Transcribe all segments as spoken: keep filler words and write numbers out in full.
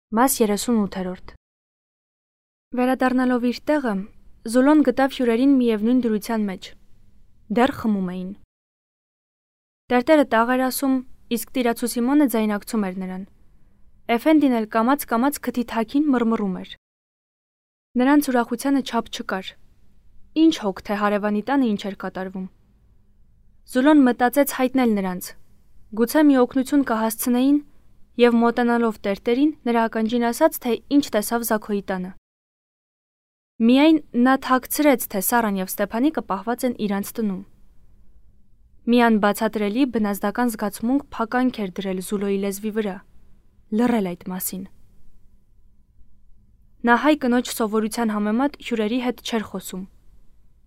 Մաս երեսունութերորդ Վերադառնալով իր տեղը, Զուլոն գտավ հյուրերին միևնույն դրության մեջ։ Դեռ խմում էին։ Տերտերը տաղ էր ասում, իսկ տիրացու Սիմոնը ձայնակցում էր նրան։ Էֆենդին էլ կամաց-կամաց քթի թաքին մռմռում էր։ Նրանց ուրախությանը չափ չկար։ Ինչ հոգ, թե հարևանի տանը ինչ էր կատարվում։ Զուլոն մտածեց հայտնել նրանց։ Գուցե մի օգնություն կհասցնեին, և մոտենալով տերտերին նրա ականջին ասաց, թե ինչ տեսավ Զաքոյի տանը։ Միայն նա թաքցրեց, թե Սառան և Ստեփանիկը պահված են իրանց տնում։ Մի անբացատրելի բնազդական զգացմունք փականք էր դրել Զուլոյի լեզվի վրա, լռել այդ մասին։ Նա հայ կնոջ սովորության համեմատ հյուրերի հետ չէր խոսում,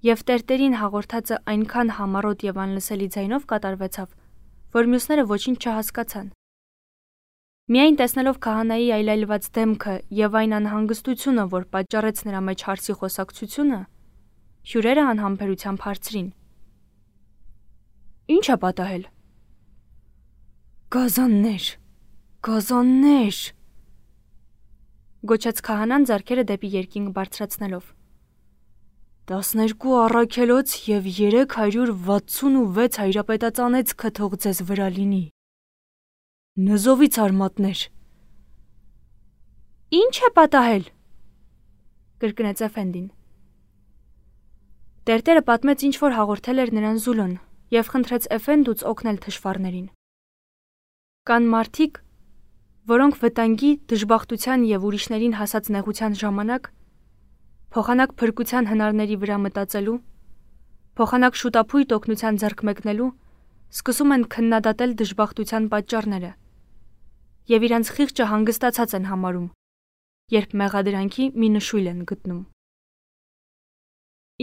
և տերտերին հաղորդածը այնքան համառոտ և անլսելի ձայնով կատարվեցավ, որ մյուսները ոչինչ չհասկացան։ Միայն տեսնելով քահանայի այլայլված դեմքը և այն անհանգստությունը, որ պատճառեց նրա մեջ հարցի խոսակցությունը, հյուրերը անհամբերությամբ հարցրին. Ի՞նչ է պատահել։ Գազաններ, գազաններ, գոչեց քահանան ձեռքերը դեպի երկինք բարձրացնելով։ Տասներկու առաքելոց և երեք հարյուր վաթսունվեց հայրապետածանեցքը թող ձեզ վրա լինի։ Նզովից արմատներ։ Ինչ է պատահել, կրկնեց Էֆենդին։ Տերտերը պատմեց ինչ որ հաղորդել էր նրան Զուլոն և խնդրեց Էֆենդուց օգնել թշվառներին։ Կան մարդիկ, որոնք վտանգի, դժբախտության և ուրիշներին հասած նեղության ժամանակ, փոխանակ փրկության հնարների վրա մտածելու, փոխանակ շուտափույթ օգնության ձեռք մեկնելու, սկսում են քննադատել դժբախտության պատճառները և իրենց խիղճը հանգստացած են համարում, երբ մեղադրանքի մի նշույլ են գտնում։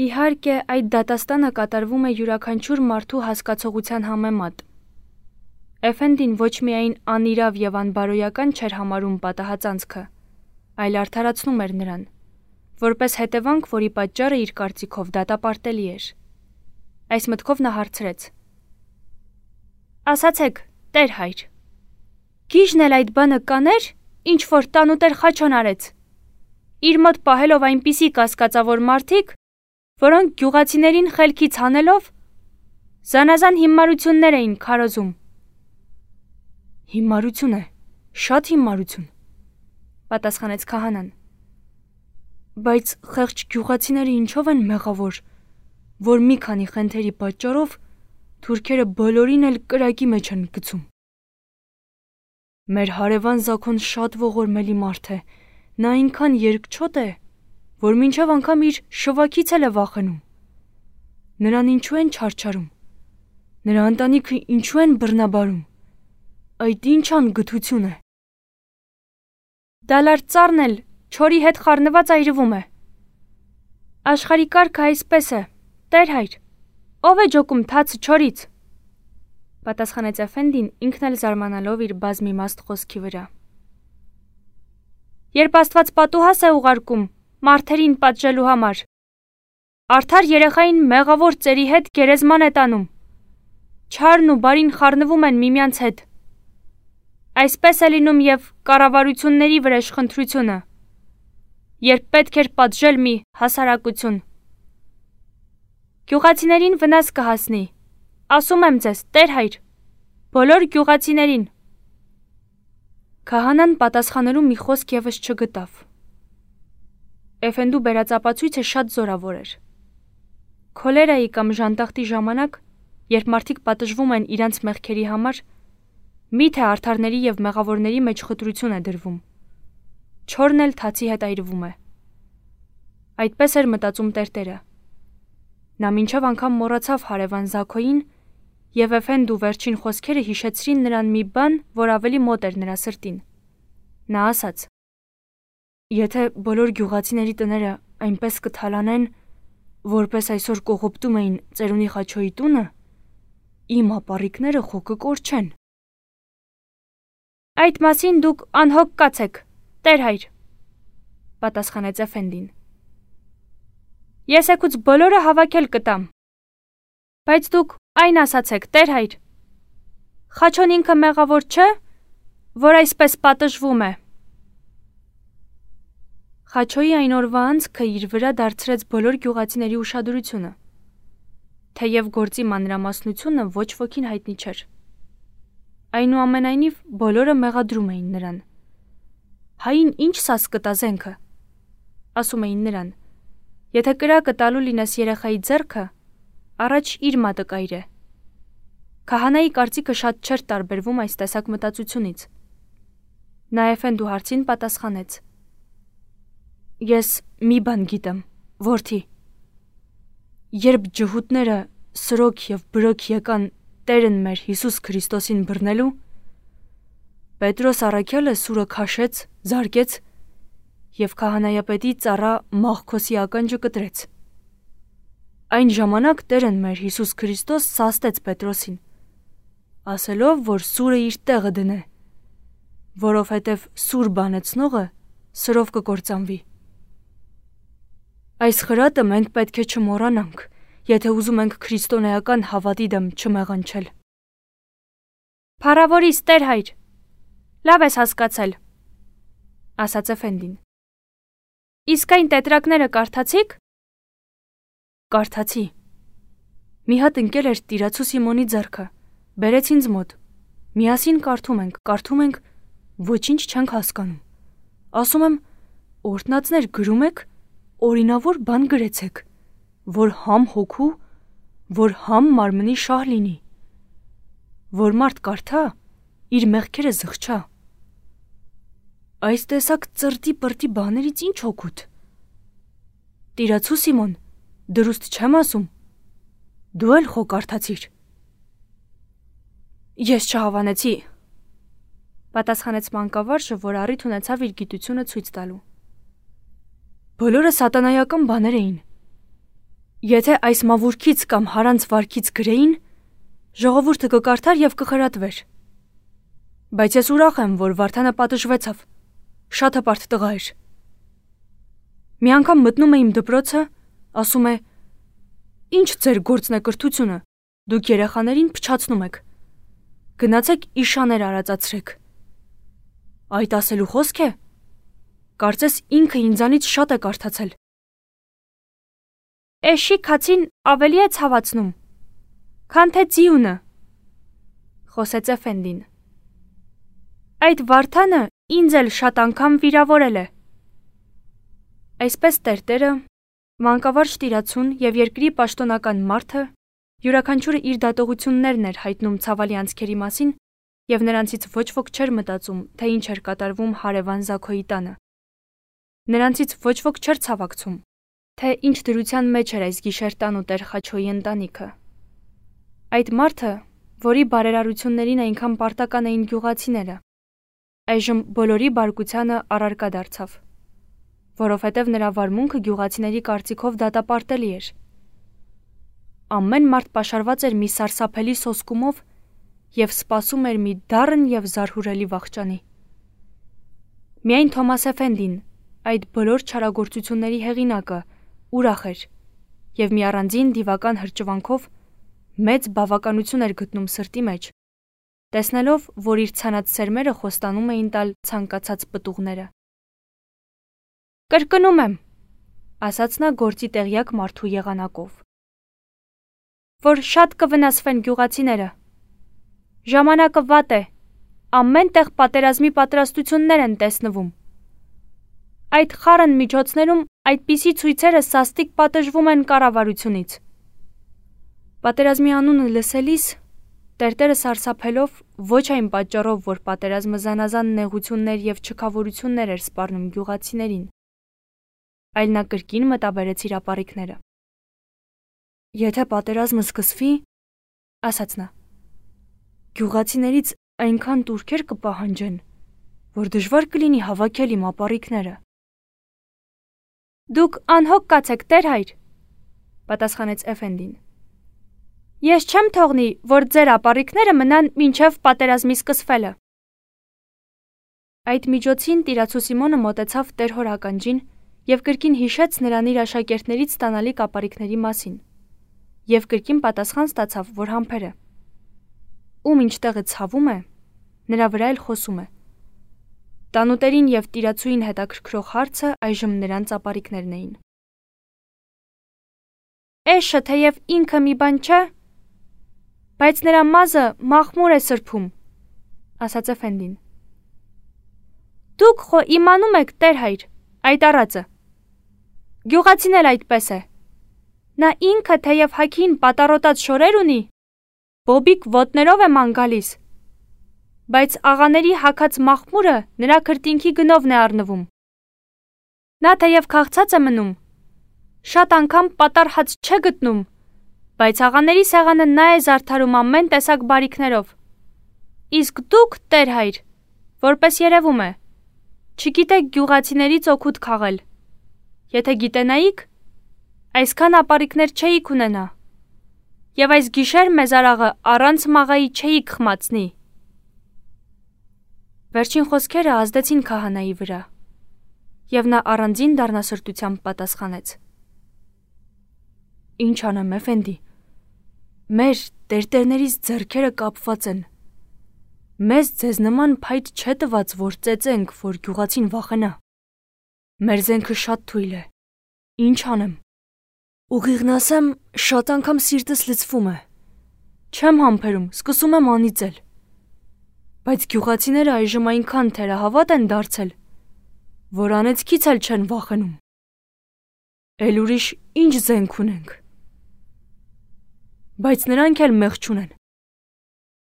Իհարկե, այդ դատաստանը կատարվում է յուրաքանչյուր մարդու հասկացողության համեմատ։ Էֆենդին ոչ միայն անիրավ և անբարոյական չէր համարում պատահածանցքը, այլ արդարացնում էր նրան, որպես հետևանք, որի պատճառը իր կարծիքով դատապարտելի էր։ Այս մտքով նա հարցրեց. Ասացեք, Տեր հայր, գիժն էլ այդ բանը կաներ, ինչ որ տանուտեր Խաչոն արեց, իր մոտ պահելով այնպիսի կասկածավոր մարդիկ, որոնք գյուղացիներին խելքից հանելով, զանազան հիմարություններ էին քարոզում։ Հիմարություն է, շատ հիմարություն, պատասխանեց քահանան։ Բայց խեղճ գյուղացիները ինչով են մեղավոր, որ մի քանի խնդերի պատճառով թուրքերը բոլորին էլ կրակի մեջ են գցում։ Մեր հարևան Զաքոն շատ ողորմելի մարդ է, նա այնքան երկչոտ է, որ մինչև անգամ իր շվաքից էլ է վախենում։ Նրան ինչու են չարչարում, նրա ընտանիքը ինչու են բռնաբարում, այդ ինչ անգթություն է։ Դալար ծառն էլ չորի հետ խառնված այրվում է։ Աշխարհի կարգը այսպես է, Տեր հայր, ով է ջոկում թացը չորից, պատասխանեց Էֆենդին ինքն էլ զարմանալով իր բազմիմաստ խոսքի վրա։ Երբ Աստված պատուհաս է ուղարկում մարդերին պատժելու համար, արդար երեխային մեղավոր ծերի հետ գերեզման է տանում, չարն ու բարին խառնվում են միմյանց հետ։ Այսպես է լինում և կառավարությունների վրեժխնդրությունը, երբ պետք էր պատժել մի հասարակություն։ Գյուղացիներին վնաս կհասնի, ասում եմ ձեզ, Տեր հայր, բոլոր գյուղացիներին։ Քահանան պատասխանելու մի խոսք ևս չգտավ։ Էֆենդու բերած ապացույցը շատ զորավոր էր։ Քոլերայի կամ ժանտախտի ժամանակ, երբ մարդիկ պատժվում են իրանց մեղքերի համար, միթե արդարների և մեղավորների մեջ խտրություն է դրվում։ Չորն էլ թացի հետ այրվում է։ Այդպես էր մտածում տերտերը։ Նա մինչև անգամ մոռացավ հարևան Զաքոյին, և Էֆենդու վերջին խոսքերը հիշեցրին նրան մի բան, որ ավելի մոտ էր նրա սրտին։ Նա ասաց. Եթե բոլոր գյուղացիների տները այնպես կթալանեն, որպես այսօր կողոպտում էին ծերունի Խաչոյի տունը, իմ ապառիկները խո կկորչեն։ Այդ մասին դուք անհոգ կացեք, Տեր հայր, պատասխանեց Էֆենդին։ Ես եկուց բոլորը հավաքել կտամ։ Բայց դուք այն ասացեք, Տեր հայր, Խաչոն ինքը մեղավոր չէ, որ այսպես պատժվում է։ Խաչոյի այն օրվա անցքը իր վրա դարձրեց բոլոր գյուղացիների ուշադրությունը, թեև գործի մանրամասնությունը ոչ ոքին հայտնի չէր։ Այնուամենայնիվ բոլորը մեղադրում էին նրան։ «Հային ինչ սաս կտա զենքը», ասում էին նրան, «եթե կրակը տալու լինես երեխայի ձեռքը, առաջ իր մատը կայրե»։ Քահանայի կարծիքը շատ չէր տարբերվում այս տեսակ մտածությունից։ Նա Էֆենդու հարցին պատասխանեց. «Ես մի բան գիտեմ, որդի։ Երբ ջհուդները սրոք և բրոք եկան Տերն մեր Հիսուս Քրիստոսին բռնելու, Պետրոս առաքյալը սուրը քաշեց, զարկեց և քահանայապետի ծառա Մաղքոսի ականջը կտրեց։ Այն ժամանակ Տերն մեր Հիսուս Քրիստոս սաստեց Պետրոսին, ասելով, որ սուրը իր տեղը դնե, որովհետև սուր բանեցնողը սրով կկործանվի։ Այս խրատը մենք պետք է չմոռանանք, եթե ուզում ենք քրիստոնեական հավատի դեմ չմեղանչել»։ «Փառավորիս, Տեր-հայր, լավ ես հասկացել», ասաց Էֆենդին։ «Իսկ այն տետրակները կարդացի՞ք»։ «Կարդացի։ Մի հատ ընկել էր տիրացու Սիմոնի ձեռքը, բերեց ինձ մոտ, միասին կարդում ենք, կարդում ենք, ոչինչ չենք հասկանում։ Ասում եմ, օրհնածներ գրում եք, օրինավոր բան գրեցեք, որ համ հոգու, որ համ մարմնի շահ լինի, որ մարդ կարդա, իր մեղքերը զղջա։ Այս տեսակ ծրտի պրտի բաներից ինչ օգուտ։ Տիրացու Սիմոն, դրուստ չեմ ասում, դու էլ խո կարդացիր»։ «Ես չհավանեցի», պատասխանեց մանկավարժը, որ առիթ ունեցավ իր գիտությունը ցույց տալու։ «Բոլորը սատանայական բաներ էին։ Եթե այս մավուրքից կամ հարանց վարքից գրեին, ժողովուրդը կկարդար և կխրատվեր։ Բայց ես ուրախ եմ, որ Վարդանը պատժվեցավ, շատ հպարտ տղա էր։ Մի անգամ մտնում է իմ դպրոցը, ասում է. «Ինչ ձեր գործն է կրթությունը, դուք երեխաներին փչացնում եք, գնացեք իշաներ արածացրեք»։ Այդ ասելու խոսք է։ Կարծես ինքը ինձանից շատ է կարդացել։ «Էշի քացին ավելի է ցավացնում, քան թե ձիունը», խոսեց Էֆենդին։ «Այդ Վարդանը ինձ էլ շատ անգամ վիրավորել է»։ Այսպես տերտերը, մանկավարժ տիրացուն և երկրի պաշտոնական մարդը յուրաքանչյուրը իր դատողություններն էր հայտնում ցավալի անցքերի մասին, և նրանցից ոչ ոք չէր մտածում, թե ինչ էր կատարվում հարևան Զաքոյի տանը։ Նրանցից ոչ ոք չէր ցավակցում, թե ինչ դրության մեջ էր այս գիշեր տանուտեր Խաչոյի ընտանիքը։ Այդ մարդը, որի բարերարություններին այնքան պարտական էին գյուղացիները, այժմ բոլորի բարկությանը առարկա դարձավ, որովհետև նրա վարմունքը գյուղացիների կարծիքով դատապարտելի էր։ Ամեն մարդ պաշարված էր մի սարսափելի սոսկումով և սպասում էր մի դառն և զարհուրելի վախճանի։ Միայն Թոմաս Էֆենդին, այդ բոլոր չարագործությունների հեղինակը, ուրախ էր և մի առանձին դիվական հրճվանքով մեծ բավականություն էր գտնում սրտի մեջ, տեսնելով, որ իր ցանած սերմերը խոստանում էին տալ ցանկացած պտուղները։ «Կրկնում եմ», ասաց նա գործի տեղյակ մարդու եղանակով, «որ շատ կվնասվեն գյուղացիները։ Ժամանակը վատ է, ամեն տեղ պատերազմի պատրաստություններ են տեսնվում։ Այդ խառն միջոցներում այդպիսի ցույցերը սաստիկ պատժվում են կառավարությունից»։ Պատերազմի անունը լսելիս տերտերը սարսափելով, ոչ այն պատճառով, որ պատերազմը զանազան նեղություններ և չքավորություններ էր սպառնում գյուղացիներին, այլ նա կրկին մտաբերեց իր ապառիկները։ «Եթե պատերազմը սկսվի, ասաց նա, գյուղացիներից այնքան տուրքեր կպահանջեն, որ դժվար կլինի հավաքել իմ ապառիկները»։ «Դուք անհոգ կացեք, Տեր-հայր», պատասխանեց Էֆենդին։ «Ես չեմ թողնի, որ ձեր ապառիկները մնան մինչև պատերազմի սկսվելը»։ Այդ միջոցին տիրացու Սիմոնը մոտեցավ Տեր հոր ականջին և կրկին հիշեց նրան իր աշակերտներից ստանալիք ապառիկների մասին, և կրկին պատասխան ստացավ, որ համբեր է։ Ում ինչ տեղը ցավում է, նրա վրա էլ խոսում է։ Տանուտերին և տիրացուին հետաքրքրող հարցը այժմ նրանց ապարիկներն էին։ Էշը թեև ինքը մի բան չէ, բայց նրա մազը մախմուր է սրբում, ասաց Էֆենդին։ Դուք խո իմանում եք, տեր հայր, այդ առածը։ Գյուղացին էլ այդպես է։ Նա ինքը թեև հագին պատառոտած շորեր ունի, բոբիկ ոտներով է ման գալիս, բայց աղաների հագած մախմուրը նրա քրտինքի գնովն է առնվում։ Նա թեև քաղցած է մնում, շատ անգամ պատառ հաց չէ գտնում, բայց աղաների սեղանը նա է զարդարում ամեն տեսակ բարիքներով։ Իսկ դուք, տեր հայր, որպես երևում է, չգիտեք գյուղացիներից օգուտ քաղել։ Եթե գիտենայիք, այսքան ապարիկներ չէիք ունենա, և այս գիշեր մեզ արաղը առանց մաղայի չէիք խմացնի։ Վերջին խոսքերը ազդեցին քահանայի վրա, և նա առանձին դառնասրտությամբ պատասխանեց. Ինչ անեմ, Էֆենդի, մեր տերտերներից ձեռքերը կապված են։ Մեզ ձեզ նման փայտ չէ տված, որ ծեծենք, որ գյուղացին վախենա։ Մեր զենքը շատ թույլ է։ Ինչ անեմ։ Ուղիղն ասեմ, շատ անգամ սիրտս լցվում է։ Չեմ համբերում, սկսում եմ անիծել։ Բայց գյուղացիները այժմ այնքան թերահավատ են դարձել, որ անեծքից էլ չեն վախենում։ Էլ ուրիշ ինչ զենք ունենք։ Բայց նրանք էլ մեղ չունեն։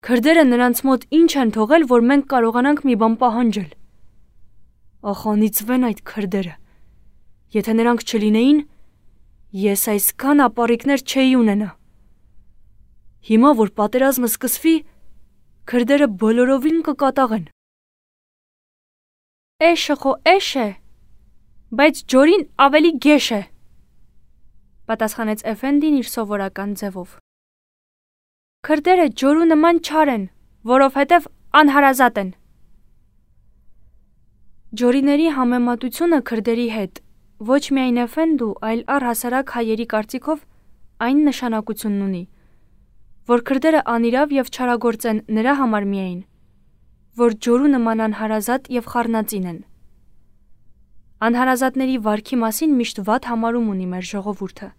Քրդերը նրանց մոտ ինչ են թողել, որ մենք կարողանանք մի բան պահանջել։ Ախ, անիծվեն այդ քրդերը։ Եթե նրանք չլինեին, ես այսքան ապարիկներ չէի ունենա։ Հիմա, որ պատերազմը սկսվի, քրդերը բոլորովին կկատաղեն։ Էշը խո էշ է, բայց ջորին ավելի գեշ է, պատասխանեց Էֆենդին իր սովորական ձևով։ Քրդերը ջորու նման չար են, որովհետև անհարազատ են։ Ջորիների համեմատությունը քրդերի հետ ոչ միայն Էֆենդու, այլ առհասարակ հայերի կարծիքով այն նշանակությունն ունի, որ քրդերը անիրավ և չարագործ են նրա համար միայն, որ ջորու նման անհարազատ և խառնածին են։ Անհարազատների վարքի մասին միշտ վատ համարում ունի մեր ժողովուրդը։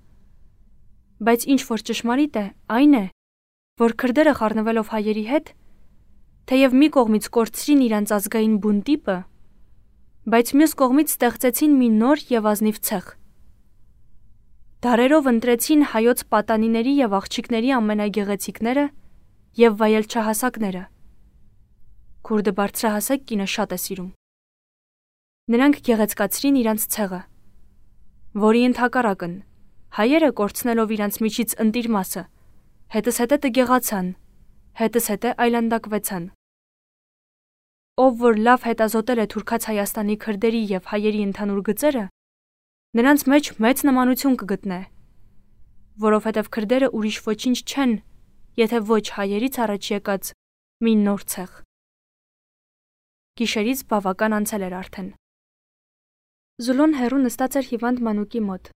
Բայց ինչ որ ճշմարիտ է, այն է, որ քրդերը խառնվելով հայերի հետ, թեև մի կողմից կորցրին իրանց ազգային բուն տիպը, բայց մյուս կողմից ստեղծեցին մի նոր և ազնիվ ցեղ։ Դարերով ընտրեցին հայոց պատանիների և աղջիկների ամենագեղեցիկները և վայելչահասակները։ Քուրդը բարձրահասակ կինը շատ է սիրում։ Նրանք գեղեցկացրին իրանց ցեղը, որի ընդհակառակն հայերը կորցնելով իրանց միջից ընտիր մասը, հետզհետե տգեղացան, հետզհետե այլանդակվեցան։ Ով որ լավ հետազոտել է թուրքաց Հայաստանի քրդերի և հայերի ընդհանուր գծերը, նրանց մեջ մեծ նմանություն կգտնե, որովհետև քրդերը ուրիշ ոչինչ չեն, եթե ոչ հայերից առաջ եկած մի նոր ցեղ։ Գիշերից բավական անցել էր արդեն։ Զուլոն հեռու նստած էր հիվանդ մանուկի մոտ։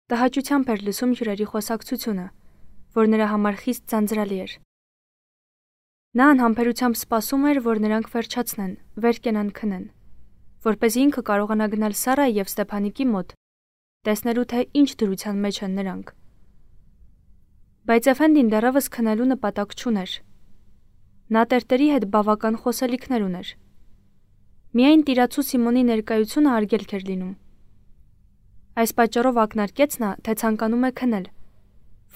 Տհաճությամբ էր լսում հյուրերի խոսակցությունը, որ նրա համար խիստ ձանձրալի էր։ Նա անհամբերությամբ սպասում էր, որ նրանք վերջացնեն, վեր կենան քնեն, որպեսզի ինքը կարողանա գնալ Սարայի և Ստեփանիկի մոտ, տեսնելու թե ինչ դրության մեջ են նրանք։ Բայց Էֆենդին դեռևս քնելու նպատակ չուներ։ Նա տերտերի հետ բավական խոսելիքներ ուներ։ Միայն տիրացու Սիմոնի ներկայությունը արգելք էր լինում։ Այս պատճառով ակնարկեց նա, թե ցանկանում է քնել,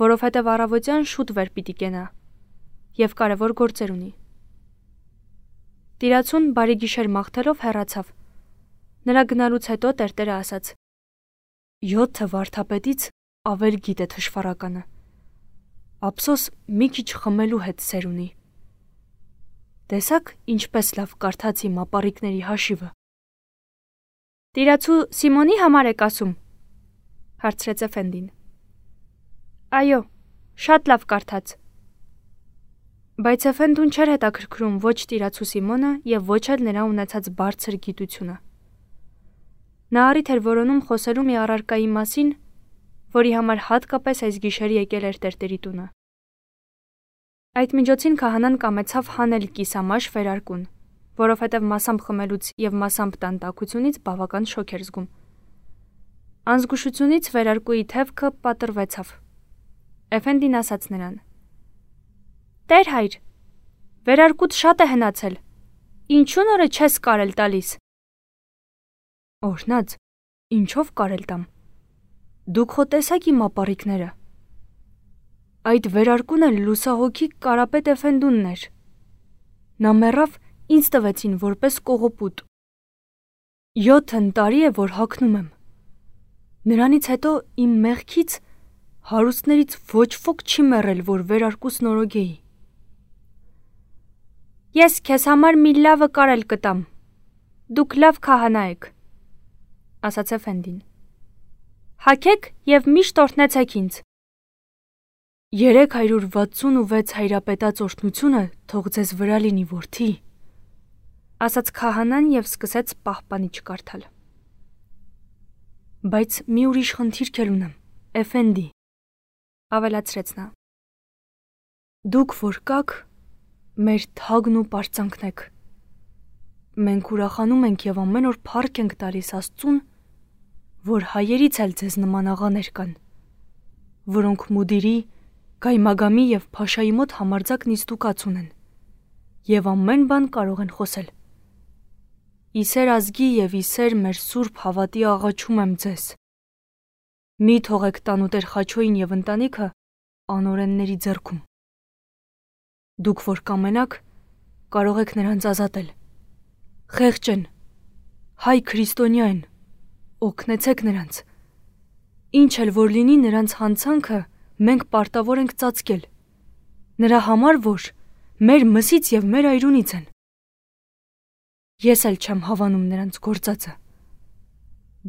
որովհետև առավոտյան շուտ վեր պիտի կենա և կարևոր գործեր ունի։ Տիրացուն բարի գիշեր մաղթելով հեռացավ։ Նրա գնալուց հետո տերտերը ասաց. Յոթը վարդապետից ավել գիտե թշվառականը։ Ափսոս մի քիչ խմելու հետ սեր ունի։ Տեսաք ինչպես լավ կարդաց իմ ապարիկների հաշիվը։ Տիրացու Սիմոնի համար եք ասում, հարցրեց Էֆենդին։ Այո, շատ լավ կարդաց։ Բայց Էֆենդուն չէր հետաքրքրում ոչ տիրացու Սիմոնը և ոչ էլ նրա ունեցած բարձր գիտությունը։ Նա առիթ էր որոնում խոսելու մի առարկայի մասին, որի համար հատկապես այս գիշեր եկել էր տերտերի տունը։ Այդ միջոցին քահանան կամեցավ հանել կիսամաշ վերարկուն, որովհետև մասամբ խմելուց և մասամբ տանտակությունից բավական շոկ էր զգում։ Անզգուշությունից վերարկուի թևքը պատռվեցավ։ Էֆենդին ասաց նրան. «Տեր հայր, վերարկուդ շատ է հնացել, ինչու նորը չես կարել տալիս»։ Օրհնած, ինչով կարել տամ։ Դուք խո տեսաք իմ ապառիկները։ Այդ վերարկուն էլ լուսահոգի Կարապետ Էֆենդունն էր։ Նա մեռավ, ինձ տվեցին որպես կողոպուտ։ Յոթն տարի է, որ հագնում եմ։ Նրանից հետո իմ մեղքից հարուստներից ոչ ոք չի մեռել, որ վերարկուս նորոգեի։ Ես քեզ համար մի լավը կարել կտամ։ Դուք լավ քահանա եք, ասաց Էֆենդին։ Հագեք և միշտ օրհնեցեք ինձ։ Երեք հարյուր վաթսուն ու վեց հայրապետաց օրհնությունը թող ձեզ վրա լինի, որդի, ասաց քահանան և սկսեց պահպանիչ կարդալ։ Բայց մի ուրիշ խնդիրք էլ ունեմ, Էֆենդի, ավելացրեց նա։ Դուք որ կաք, մեր թագն ու պարծանքն եք։ Մենք ուրախանում ենք և ամեն օր փառք ենք տալիս Աստծուն, որ հայերից էլ ձեզ նման աղաներ կան, որոնք մուդիրի, գայմագամի և փաշայի մոտ համարձակ նիստուկաց ունեն և ամեն բան կարող են խոսել։ Իսեր ազգի և իսեր մեր սուրբ հավատի աղաչում եմ ձեզ։ Մի թողեք տանուտեր Խաչոյին և ընտանիքը անօրենների ձեռքում։ Դուք որ կամենաք, կարող եք նրանց ազատել։ Խեղճ են, հայ քրիստոնյա են, օգնեցեք նրանց։ Ինչ էլ որ լինի նրանց հանցանքը մենք պարտավոր ենք ծածկել, նրա համար, որ մեր մսից և մեր այրունից են։ Ես էլ չեմ հավանում նրանց գործածը,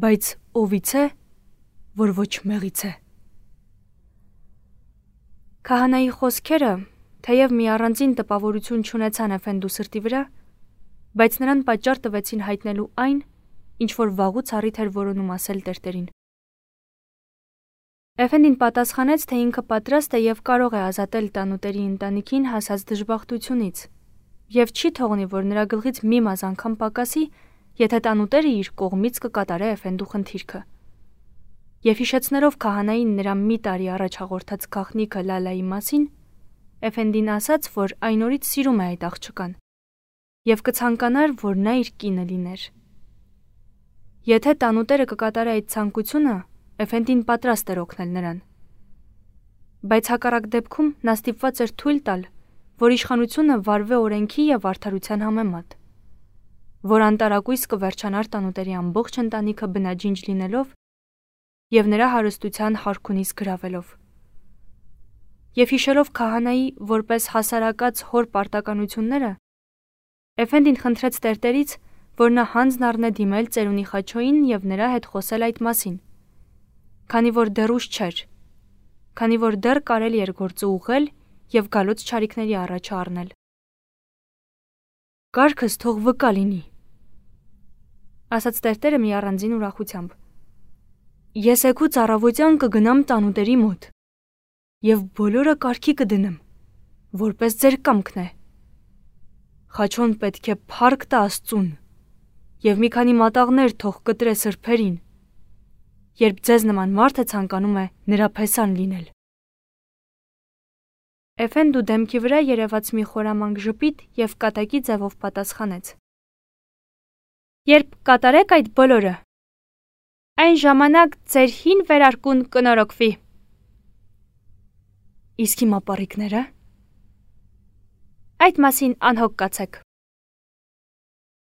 բայց ովից է, որ ոչ մեղից է։ Քահանայի խոսքերը, թեև մի առանձին տպավորություն չունեցան Էֆենդու սրտի վրա, բայց նրան պատճառ տվեցին հայտնելու այն, ինչ որ վաղուց առիթ էր որոնում ասել տերտերին։ Էֆենդին պատասխանեց, թե ինքը պատրաստ է և կարող է ազատել տանուտերի ընտանիքին հասած դժբախտությունից, և չի թողնի, որ նրա գլխից մի մազան անգամ պակասի, եթե տանուտերը իր կողմից կկատարե Էֆենդու խնդիրքը։ Եվ հիշեցնելով քահանային նրա մի տարի առաջ հաղորդած գաղտնիքը Լալայի մասին, Էֆենդին ասաց, որ այն օրից սիրում է այդ աղջկան և կցանկանար, որ նա իր կինը լիներ։ Եթե տանուտերը կկատարե այդ ցանկությունը, Էֆենդին պատրաստ էր օգնել նրան։ Բայց հակառակ դեպքում նա ստիպված էր թույլ տալ, որ իշխանությունը վարվե օրենքի և արդարության համեմատ, որ անտարակույս կվերջանար տանուտերի ամբողջ ընտանիքը բնաջինջ լինելով և նրա հարստության հարքունից գրավելով։ Եվ հիշելով քահանայի որպես հասարակած հոր պարտականությունները, Էֆենդին խնդրեց տերտերից, որ նա հանձն առնե դիմել ծերունի Խաչոյին և նրա հետ խոսել այդ մասին, քանի որ դեռ ուշ չէր, քանի որ դեռ կարելի էր գործը ուղղել և գալոց չարիքների առաջը առնել։ Կարգս թող վկա լինի, ասաց տերտերը մի առանձին ուրախությամբ։ Ես էգուց առավոտյան կգնամ տանուտերի մոտ և բոլորը կարգի կդնեմ, որպես ձեր կամքն է։ Խաչոն պետք է փառք տա Աստծուն և մի քանի մատաղներ թող կտրե սրբերին, երբ ձեզ նման մարդը ցանկանում է նրա փեսան լինել։ Էֆենդու դեմքի վրա երևաց մի խորամանկ ժպիտ և կատակի ձևով պատասխանեց. Երբ կատարեք այդ բոլորը, այն ժամանակ ձեր հին վերարկուն կնորոգվի։ Իսկ իմ ապառիկները։ Այդ մասին անհոգ կացեք։